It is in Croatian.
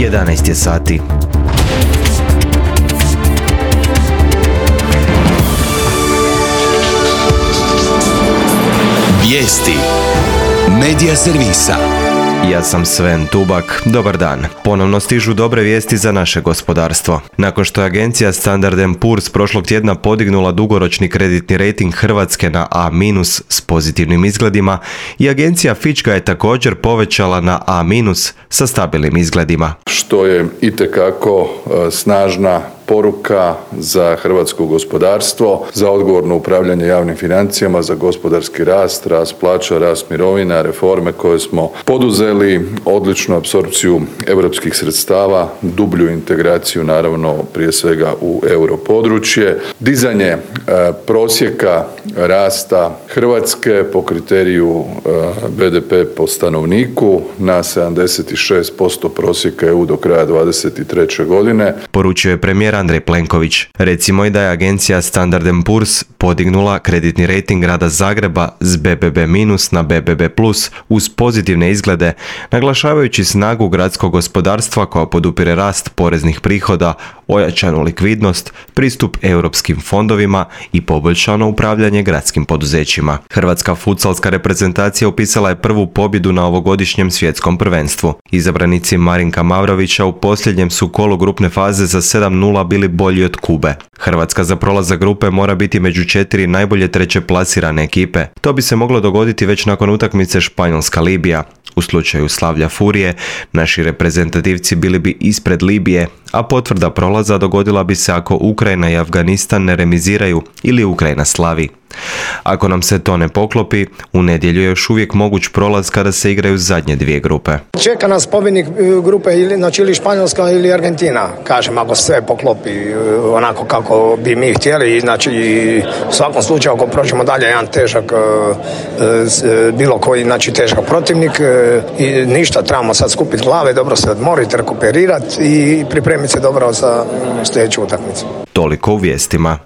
11 je sati. Vijesti Medija servisa. Ja sam Sven Tubak, dobar dan. Ponovno stižu dobre vijesti za naše gospodarstvo. Nakon što je agencija Standard & Poor's prošlog tjedna podignula dugoročni kreditni rejting Hrvatske na A- s pozitivnim izgledima, i agencija Fitch ga je također povećala na A- sa stabilnim izgledima. Što je itekako snažna poruka za hrvatsko gospodarstvo, za odgovorno upravljanje javnim financijama, za gospodarski rast, rast plaća, rast mirovina, reforme koje smo poduzeli, odličnu apsorpciju europskih sredstava, dublju integraciju naravno prije svega u europodručje, dizanje prosjeka rasta Hrvatske po kriteriju BDP po stanovniku na 76% prosjeka EU do kraja 2023. godine. Poručio je premijer Andrej Plenković. Recimo i da je agencija Standard & Poor's podignula kreditni rejting grada Zagreba s BBB- na BBB+ uz pozitivne izglede, naglašavajući snagu gradskog gospodarstva koja podupire rast poreznih prihoda, ojačanu likvidnost, pristup europskim fondovima i poboljšano upravljanje gradskim poduzećima. Hrvatska futsalska reprezentacija upisala je prvu pobjedu na ovogodišnjem svjetskom prvenstvu. Izabranici Marinka Mavrovića u posljednjem su kolu grupne faze za 7:0 bili bolji od Kube. Hrvatska za prolazak grupe mora biti među 4 najbolje treće plasirane ekipe. To bi se moglo dogoditi već nakon utakmice Španjolska-Libija. U slučaju slavlja Furije, naši reprezentativci bili bi ispred Libije, a potvrda prolaza dogodila bi se ako Ukrajina i Afganistan ne remiziraju ili Ukrajina slavi. Ako nam se to ne poklopi, u nedjelju je još uvijek moguć prolaz kada se igraju zadnje dvije grupe. Čeka nas pobjednik grupe ili Španjolska ili Argentina. Kažem, ako sve poklopi onako kako bi mi htjeli, znači u svakom slučaju ako prođemo dalje jedan težak, bilo koji težak protivnik i ništa, trebamo sad skupiti glave, dobro se odmoriti, rekuperirati i pripremiti se dobro za sljedeću utakmicu. Toliko u vijestima.